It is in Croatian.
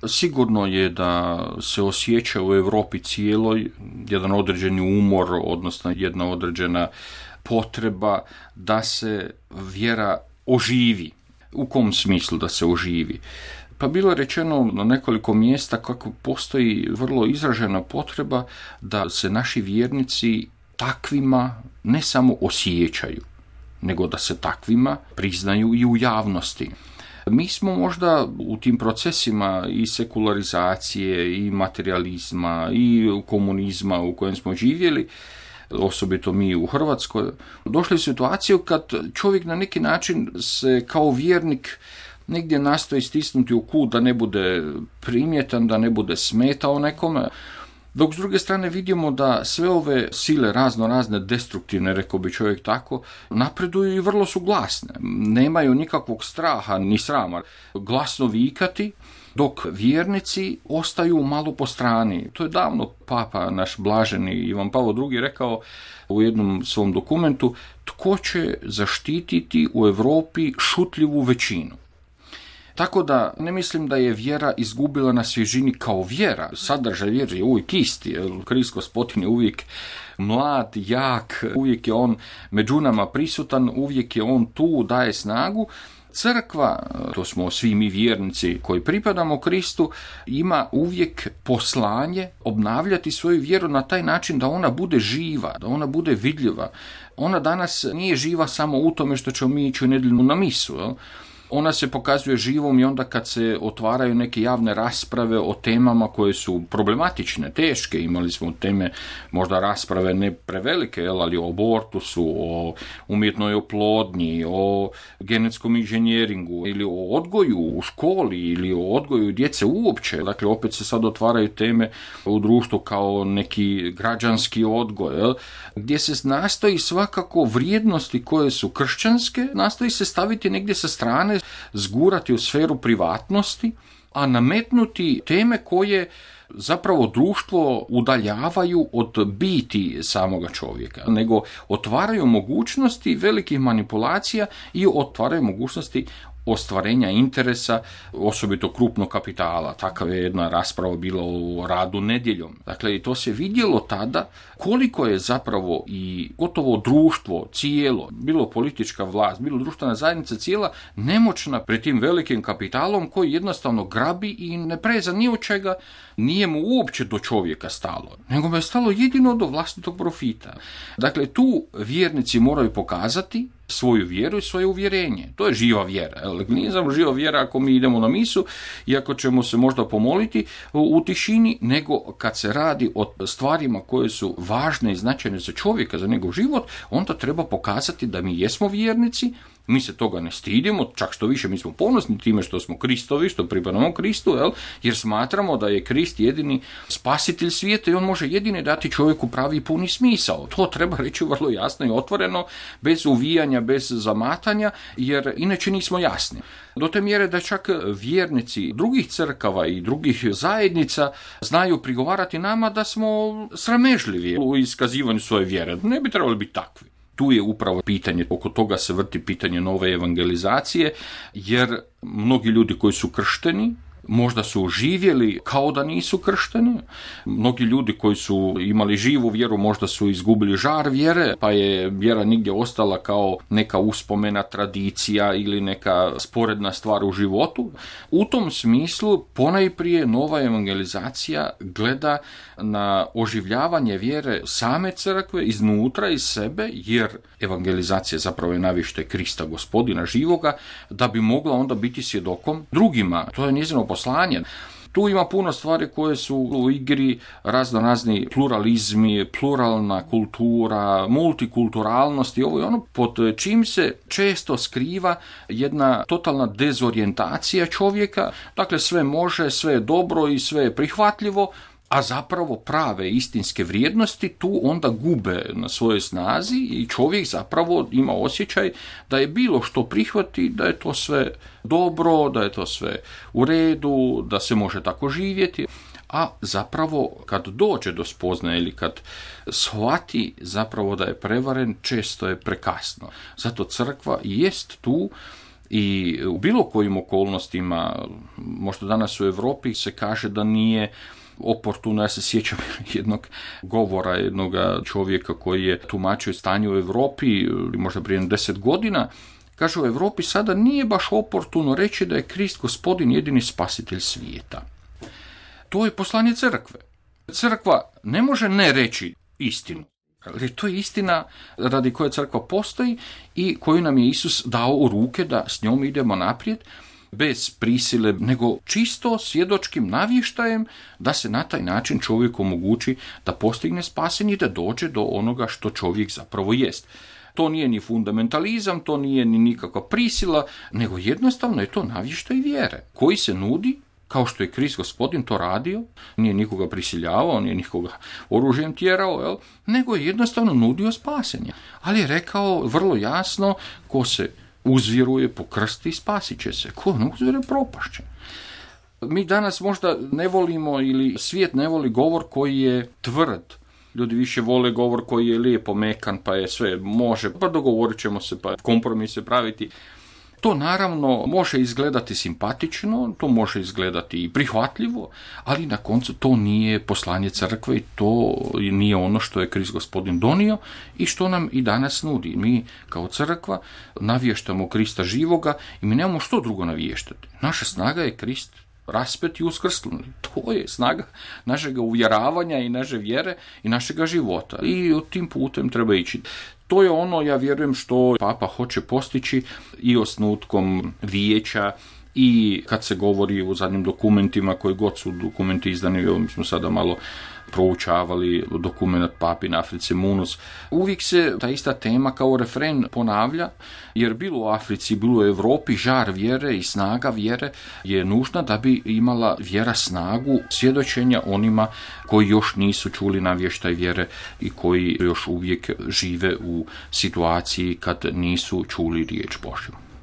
Sigurno je da se osjeća u Europi cijeloj jedan određeni umor, odnosno jedna određena potreba da se vjera oživi. U kom smislu da se oživi? Pa bilo je rečeno na nekoliko mjesta kako postoji vrlo izražena potreba da se naši vjernici takvima ne samo osjećaju, nego da se takvima priznaju i u javnosti. Mi smo možda u tim procesima i sekularizacije, i materializma, i komunizma u kojem smo živjeli, osobito mi u Hrvatskoj, došli u situaciju kad čovjek na neki način se kao vjernik negdje nastoji stisnuti u kut da ne bude primjetan, da ne bude smetao nekome, dok s druge strane vidimo da sve ove sile razne destruktivne, rekao bi čovjek tako, napreduju i vrlo su glasne. Nemaju nikakvog straha ni srama glasno vikati, dok vjernici ostaju malo po strani. To je davno papa naš blaženi Ivan Pavao II rekao u jednom svom dokumentu: tko će zaštititi u Europi šutljivu većinu? Tako da ne mislim da je vjera izgubila na svježini kao vjera. Sadržaj vjere je uvijek isti. Krist Gospodin je uvijek mlad, jak, uvijek je on među nama prisutan, uvijek je on tu, daje snagu. Crkva, to smo svi mi vjernici koji pripadamo Kristu, ima uvijek poslanje obnavljati svoju vjeru na taj način da ona bude živa, da ona bude vidljiva. Ona danas nije živa samo u tome što ćemo mi ići u nedjelju na misu, jel? Ona se pokazuje živom i onda kad se otvaraju neke javne rasprave o temama koje su problematične, teške. Imali smo teme, možda rasprave ne prevelike, ali o abortusu, o umjetnoj oplodnji, o genetskom inženjeringu ili o odgoju u školi ili o odgoju djece uopće. Dakle, opet se sad otvaraju teme u društvu kao neki građanski odgoj, gdje se nastoji svakako vrijednosti koje su kršćanske, nastoji se staviti negdje sa strane, zgurati u sferu privatnosti, a nametnuti teme koje zapravo društvo udaljavaju od biti samoga čovjeka, nego otvaraju mogućnosti velikih manipulacija i otvaraju mogućnosti ostvarenja interesa, osobito krupnog kapitala. Takva je jedna rasprava bila o radu nedjeljom. Dakle, i to se vidjelo tada koliko je zapravo i gotovo društvo cijelo, bilo politička vlast, bilo društvena zajednica cijela, nemoćna pred tim velikim kapitalom koji jednostavno grabi i ne preza ni od čega, nije mu uopće do čovjeka stalo, nego mu je stalo jedino do vlastitog profita. Dakle, tu vjernici moraju pokazati svoju vjeru i svoje uvjerenje. To je živa vjera. Nije samo živa vjera ako mi idemo na misu i ako ćemo se možda pomoliti u tišini, nego kad se radi o stvarima koje su važne i značajne za čovjeka, za njegov život, onda treba pokazati da mi jesmo vjernici, mi se toga ne stidimo, čak što više mi smo ponosni time što smo Kristovi, što pripadamo Kristu, jer smatramo da je Krist jedini spasitelj svijeta i on može jedini dati čovjeku pravi i puni smisao. To treba reći vrlo jasno i otvoreno, bez uvijanja, bez zamatanja, jer inače nismo jasni. Do te mjere da čak vjernici drugih crkava i drugih zajednica znaju prigovarati nama da smo sramežljivi u iskazivanju svoje vjere. Ne bi trebali biti takvi. Tu je upravo pitanje, oko toga se vrti pitanje nove evangelizacije, jer mnogi ljudi koji su kršteni možda su živjeli kao da nisu kršteni. Mnogi ljudi koji su imali živu vjeru možda su izgubili žar vjere, pa je vjera nigdje ostala kao neka uspomena, tradicija ili neka sporedna stvar u životu. U tom smislu ponajprije nova evangelizacija gleda na oživljavanje vjere same crkve iznutra, iz sebe, jer evangelizacija zapravo je navište Krista Gospodina živoga, da bi mogla onda biti svjedokom drugima. To je njezino poslanje. Tu ima puno stvari koje su u igri, razni pluralizmi, pluralna kultura, multikulturalnost i ovo i ono, pod čim se često skriva jedna totalna dezorijentacija čovjeka. Dakle, sve može, sve je dobro i sve je prihvatljivo, a zapravo prave istinske vrijednosti tu onda gube na svojoj snazi i čovjek zapravo ima osjećaj da je bilo što prihvati, da je to sve dobro, da je to sve u redu, da se može tako živjeti, a zapravo kad dođe do spoznaje ili kad shvati zapravo da je prevaren, često je prekasno. Zato crkva jest tu I u bilo kojim okolnostima, možda danas u Europi se kaže da nije oportuno. Ja se sjećam jednog govora jednog čovjeka koji je tumačio stanje u Europi, možda prije 10 godina. Kaže, u Europi sada nije baš oportuno reći da je Krist Gospodin jedini spasitelj svijeta. To je poslanje crkve. Crkva ne može ne reći istinu. Ali to je istina radi koje crkva postoji i koju nam je Isus dao u ruke da s njom idemo naprijed, bez prisile, nego čisto svjedočkim navještajem da se na taj način čovjeku omogući da postigne spasenje i da dođe do onoga što čovjek zapravo jest. To nije ni fundamentalizam, to nije ni nikakva prisila, nego jednostavno je to navještaj vjere koji se nudi, kao što je Krist Gospodin to radio, nije nikoga prisiljavao, nije nikoga oružjem tjerao, nego je jednostavno nudio spasenje. Ali je rekao vrlo jasno, ko se uzvjeruje po krsti, spasit će se. Ko ne uzvjeruje, propašće. Mi danas možda ne volimo, ili svijet ne voli govor koji je tvrd. Ljudi više vole govor koji je lijepo mekan, pa je sve može, pa dogovorit ćemo se, pa kompromise praviti. To naravno može izgledati simpatično, to može izgledati i prihvatljivo, ali na koncu to nije poslanje crkve i to nije ono što je Krist Gospodin donio i što nam i danas nudi. Mi kao crkva navještamo Krista živoga i mi nemamo što drugo navještati. Naša snaga je Krist raspet i uskrsnuli. To je snaga našega uvjeravanja i naše vjere i našega života. I tim putem treba ići. To je ono, ja vjerujem, što Papa hoće postići i osnutkom vijeća i kad se govori o zadnjim dokumentima, koji god su dokumenti izdani, mi smo sada malo proučavali dokument Papin Africe Munus. Uvijek se ta ista tema kao refren ponavlja, jer bilo u Africi, bilo u Europi, žar vjere i snaga vjere je nužna da bi imala vjera snagu svjedočenja onima koji još nisu čuli navještaj vjere i koji još uvijek žive u situaciji kad nisu čuli riječ Božju.